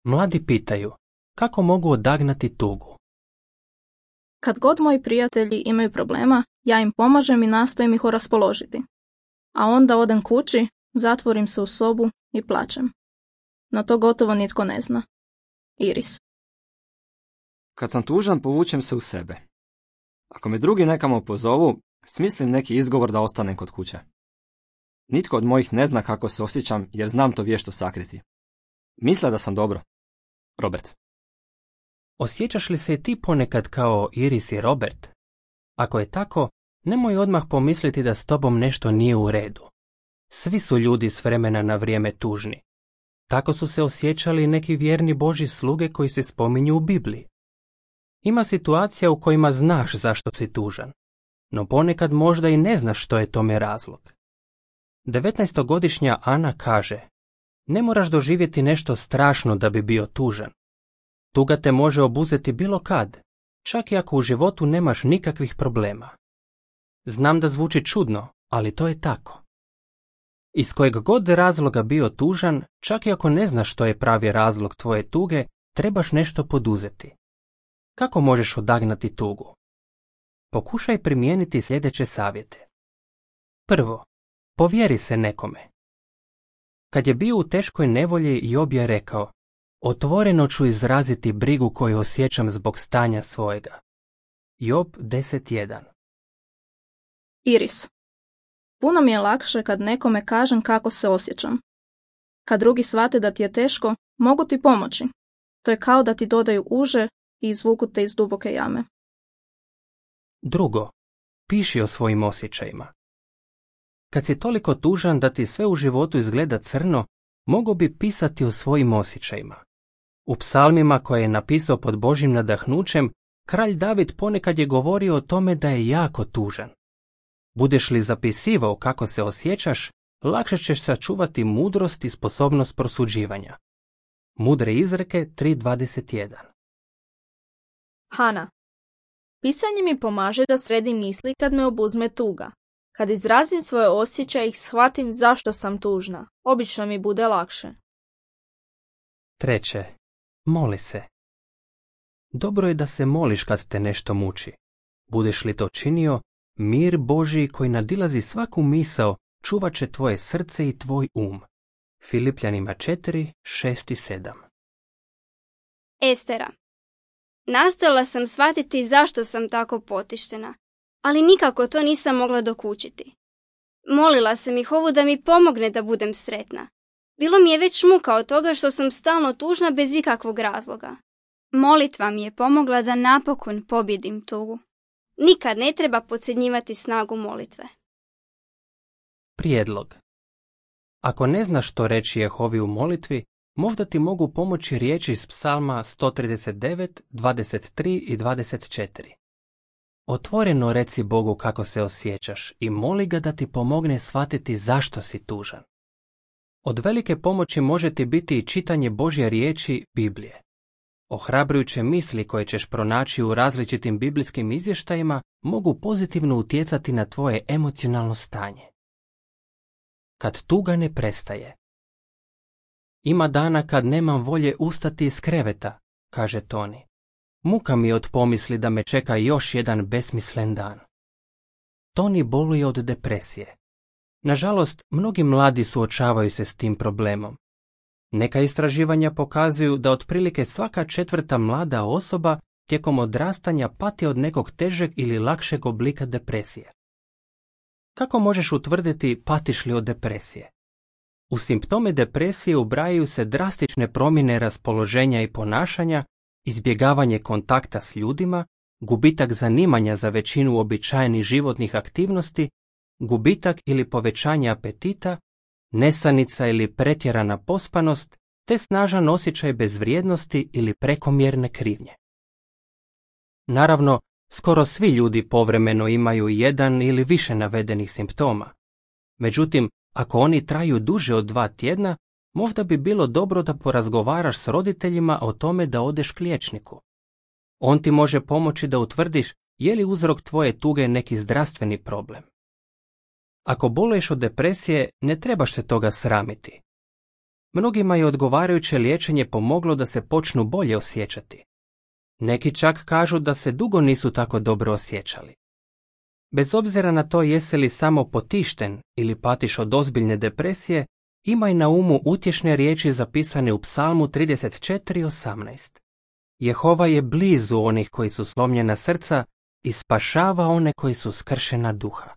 Mladi pitaju, kako mogu odagnati tugu? Kad god moji prijatelji imaju problema, ja im pomažem i nastojim ih oraspoložiti. A onda odem kući, zatvorim se u sobu i plačem. No to gotovo nitko ne zna. Iris. Kad sam tužan, povučem se u sebe. Ako me drugi nekamo pozovu, smislim neki izgovor da ostanem kod kuće. Nitko od mojih ne zna kako se osjećam jer znam to vješto sakriti. Misle da sam dobro. Robert. Osjećaš li se i ti ponekad kao Iris i Robert? Ako je tako, nemoj odmah pomisliti da s tobom nešto nije u redu. Svi su ljudi s vremena na vrijeme tužni. Tako su se osjećali neki vjerni Božji sluge koji se spominju u Bibliji. Ima situacija u kojima znaš zašto si tužan, no ponekad možda i ne znaš što je tome razlog. 19-godišnja Ana kaže, ne moraš doživjeti nešto strašno da bi bio tužan. Tuga te može obuzeti bilo kad, čak i ako u životu nemaš nikakvih problema. Znam da zvuči čudno, ali to je tako. Iz kojeg god razloga bio tužan, čak i ako ne znaš što je pravi razlog tvoje tuge, trebaš nešto poduzeti. Kako možeš odagnati tugu? Pokušaj primijeniti sljedeće savjete. Prvo, povjeri se nekome. Kad je bio u teškoj nevolji, Job je rekao, otvoreno ću izraziti brigu koju osjećam zbog stanja svojega. Job 10.1. Iris. Puno mi je lakše kad nekome kažem kako se osjećam. Kad drugi shvate da ti je teško, mogu ti pomoći. To je kao da ti dodaju uže i izvuku te iz duboke jame. Drugo, piši o svojim osjećajima. Kad si toliko tužan da ti sve u životu izgleda crno, mogo bi pisati o svojim osjećajima. U psalmima koje je napisao pod Božjim nadahnućem, kralj David ponekad je govorio o tome da je jako tužan. Budeš li zapisivao kako se osjećaš, lakše ćeš sačuvati mudrost i sposobnost prosuđivanja. Mudre izreke 3.21. Hana. Pisanje mi pomaže da sredim misli kad me obuzme tuga. Kad izrazim svoje osjećaje i shvatim zašto sam tužna, obično mi bude lakše. Treće, moli se. Dobro je da se moliš kad te nešto muči. Budeš li to činio, mir Božji koji nadilazi svaku misao čuvat će tvoje srce i tvoj um. Filipljanima 4, 6 i 7. Estera. Nastojala sam shvatiti zašto sam tako potištena, ali nikako to nisam mogla dokučiti. Molila sam Jehovu da mi pomogne da budem sretna. Bilo mi je već muka od toga što sam stalno tužna bez ikakvog razloga. Molitva mi je pomogla da napokon pobjedim tugu. Nikad ne treba podcjenjivati snagu molitve. Prijedlog. Ako ne znaš što reći Jehovi u molitvi, možda ti mogu pomoći riječi iz psalma 139, 23 i 24. Otvoreno reci Bogu kako se osjećaš i moli ga da ti pomogne shvatiti zašto si tužan. Od velike pomoći može ti biti i čitanje Božje riječi Biblije. Ohrabrujuće misli koje ćeš pronaći u različitim biblijskim izvještajima mogu pozitivno utjecati na tvoje emocionalno stanje. Kad tuga ne prestaje. Ima dana kad nemam volje ustati iz kreveta, kaže Toni. Muka mi je od pomisli da me čeka još jedan besmislen dan. Toni boluje od depresije. Nažalost, mnogi mladi suočavaju se s tim problemom. Neka istraživanja pokazuju da otprilike svaka 4. mlada osoba tijekom odrastanja pati od nekog težeg ili lakšeg oblika depresije. Kako možeš utvrditi patiš li od depresije? U simptome depresije ubrajaju se drastične promjene raspoloženja i ponašanja, izbjegavanje kontakta s ljudima, gubitak zanimanja za većinu uobičajenih životnih aktivnosti, gubitak ili povećanje apetita, nesanica ili pretjerana pospanost, te snažan osjećaj bezvrijednosti ili prekomjerne krivnje. Naravno, skoro svi ljudi povremeno imaju jedan ili više navedenih simptoma. Međutim, ako oni traju duže od 2 tjedna, možda bi bilo dobro da porazgovaraš s roditeljima o tome da odeš k liječniku. On ti može pomoći da utvrdiš je li uzrok tvoje tuge neki zdravstveni problem. Ako boluješ od depresije, ne trebaš se toga sramiti. Mnogima je odgovarajuće liječenje pomoglo da se počnu bolje osjećati. Neki čak kažu da se dugo nisu tako dobro osjećali. Bez obzira na to jesi li samo potišten ili patiš od ozbiljne depresije, imaj na umu utješne riječi zapisane u Psalmu 34:18. Jehova je blizu onih koji su slomljena srca i spašava one koji su skršena duha.